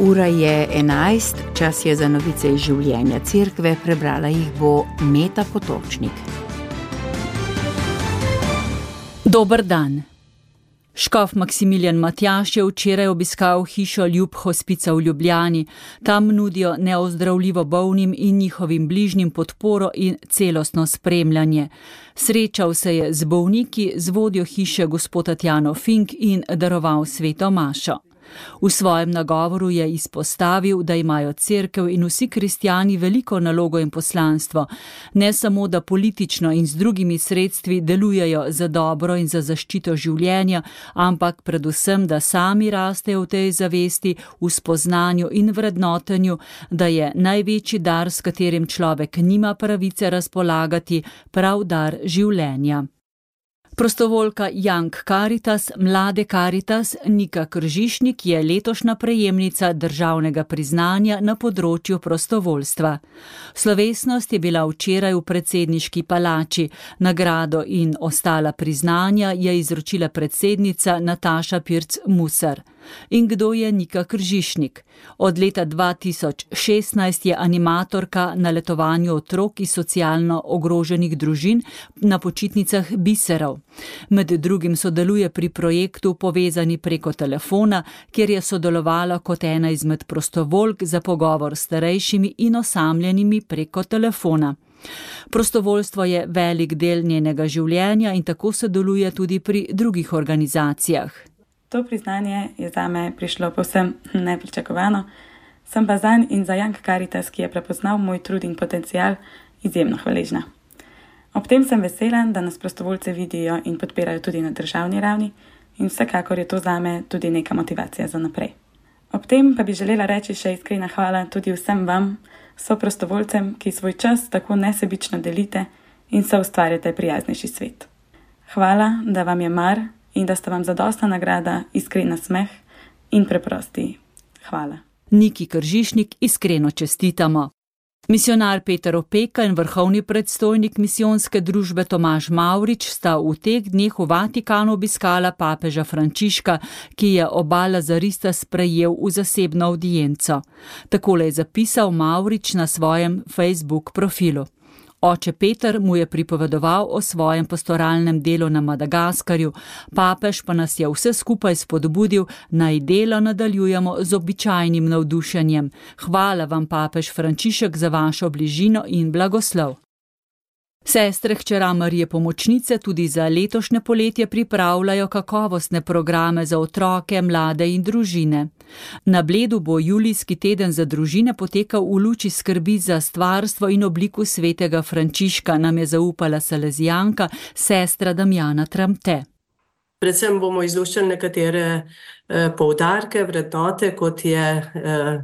Ura je 11, čas je za novice iz življenja cerkve, prebrala jih bo Meta Potočnik. Dober dan. Škof Maksimilijan Matjaž je včeraj obiskal hišo Ljub Hospica v Ljubljani. Tam nudijo neozdravljivo bolnim in njihovim bližnjim podporo in celostno spremljanje. Srečal se je z bolniki, z vodjo hiše gospod Tatjano Fink in daroval sveto mašo. V svojem nagovoru je izpostavil, da imajo cerkev in vsi kristjani veliko nalogo in poslanstvo, ne samo, da politično in z drugimi sredstvi delujejo za dobro in za zaščito življenja, ampak predvsem, da sami rastejo v tej zavesti, v spoznanju in vrednotenju, da je največji dar, s katerim človek nima pravice razpolagati, prav dar življenja. Prostovoljka Young Caritas, Mlade Caritas, Nika Kržišnik je letošnja prejemnica državnega priznanja na področju prostovoljstva. Slovesnost je bila včeraj v predsedniški palači. Nagrado in ostala priznanja je izročila predsednica Nataša Pirc Musar. In kdo je Nika Kržišnik? Od leta 2016 je animatorka na letovanju otrok iz socialno ogroženih družin na počitnicah biserov. Med drugim sodeluje pri projektu Povezani preko telefona, kjer je sodelovala kot ena izmed prostovoljk za pogovor s starejšimi in osamljenimi preko telefona. Prostovoljstvo je velik del njenega življenja in tako sodeluje tudi pri drugih organizacijah. To priznanje je zame prišlo povsem nepričakovano, sem pa zanj in za Young Caritas, ki je prepoznal moj trud in potencial, izjemno hvaležna. Ob tem sem vesela, da nas prostovoljce vidijo in podpirajo tudi na državni ravni in vsekakor je to zame tudi neka motivacija za naprej. Ob tem pa bi želela reči še iskrena hvala tudi vsem vam, soprostovoljcem, ki svoj čas tako nesebično delite in soustvarjate prijaznejši svet. Hvala, da vam je mar in da sta vam zadostna nagrada iskrena smeh in preprosti. Hvala. Niki Kržišnik iskreno čestitamo. Misionar Peter Opeka in vrhovni predstojnik misijonske družbe Tomaž Mavrič sta v teh dneh v Vatikanu obiskala papeža Frančiška, ki je oba lazarista sprejel v zasebno avdienco. Takole je zapisal Mavrič na svojem Facebook profilu. Oče Peter mu je pripovedoval o svojem pastoralnem delu na Madagaskarju, papež pa nas je vse skupaj spodbudil, naj delo nadaljujemo z običajnim navdušenjem. Hvala vam, papež Frančišek, za vašo bližino in blagoslov. Sestre hčera Marije Pomočnice tudi za letošnje poletje pripravljajo kakovostne programe za otroke, mlade in družine. Na Bledu bo julijski teden za družine potekal v luči skrbi za stvarstvo in obliku svetega Frančiška, nam je zaupala salezijanka sestra Damjana Tramte. Predvsem bomo izluščali nekatere poudarke, vrednote, kot je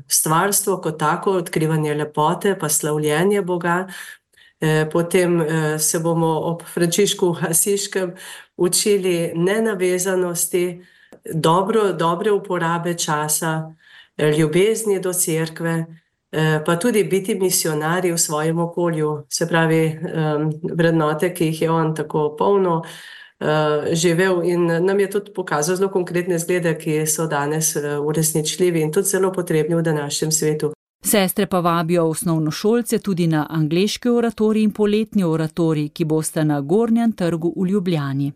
stvarstvo kot tako, odkrivanje lepote, pa slavljenje Boga. Potem se bomo ob Frančišku Asiškem učili nenavezanosti, dobre uporabe časa, ljubezni do cerkve, pa tudi biti misionarji v svojem okolju, se pravi vrednote, ki jih je on tako polno živel in nam je tudi pokazal zelo konkretne zglede, ki so danes uresničljivi in tudi zelo potrebni v današnjem svetu. Sestre pa vabijo osnovnošolce tudi na angleški oratorij in poletni oratorij, ki bosta na Gornjem trgu v Ljubljani.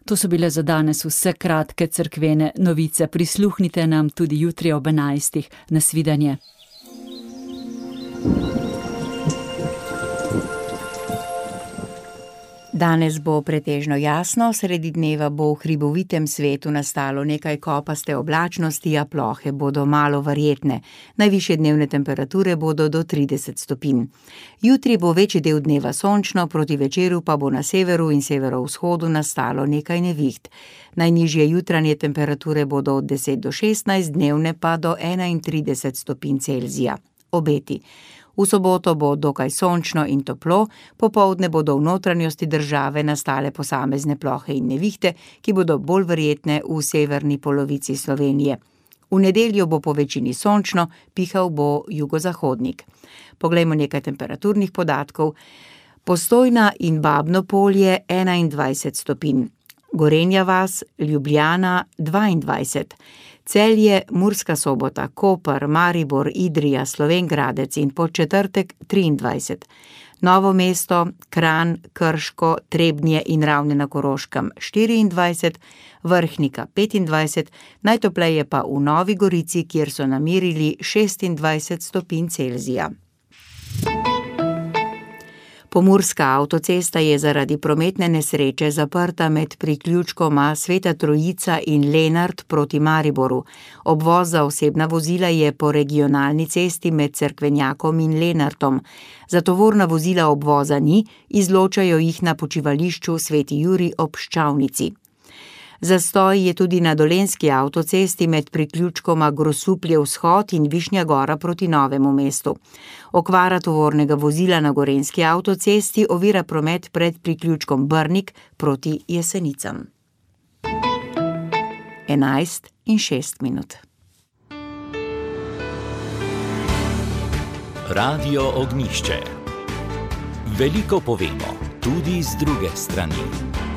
To so bile za danes vse kratke cerkvene novice. Prisluhnite nam tudi jutri ob 11. Nasvidenje. Danes bo pretežno jasno, sredi dneva bo v hribovitem svetu nastalo nekaj kopaste oblačnosti, a plohe bodo malo verjetne. Najvišje dnevne temperature bodo do 30 stopinj. Jutri bo večji del dneva sončno, proti večeru pa bo na severu in severovzhodu nastalo nekaj neviht. Najnižje jutranje temperature bodo od 10 do 16, dnevne pa do 31 stopinj Celzija. Obeti. V soboto bo dokaj sončno in toplo, popoldne bodo v notranjosti države nastale posamezne plohe in nevihte, ki bodo bolj verjetne v severni polovici Slovenije. V nedeljo bo po večini sončno, pihal bo jugozahodnik. Poglejmo nekaj temperaturnih podatkov. Postojna in Babno Polje 21 stopinj. Gorenja vas, Ljubljana 22, Celje, Murska Sobota, Koper, Maribor, Idrija, Slovenj Gradec in Podčetrtek 23, Novo mesto, Kranj, Krško, Trebnje in Ravne na Koroškem 24, Vrhnika 25, najtopleje pa v Novi Gorici, kjer so namerili 26 stopinj Celzija. Pomurska avtocesta je zaradi prometne nesreče zaprta med priključkoma Sveta Trojica in Lenart proti Mariboru. Obvoz za osebna vozila je po regionalni cesti med Cerkvenjakom in Lenartom. Za tovorna vozila obvoza ni, izločajo jih na počivališču Sveti Jurij ob Ščavnici. Zastoj je tudi na Dolenjski avtocesti med priključkoma Grosuplje vzhod in Višnja Gora proti Novemu mestu. Okvara tovornega vozila na Gorenjski avtocesti ovira promet pred priključkom Brnik proti Jesenicam. 11:06. Radio Ognjišče. Veliko povemo, tudi z druge strani.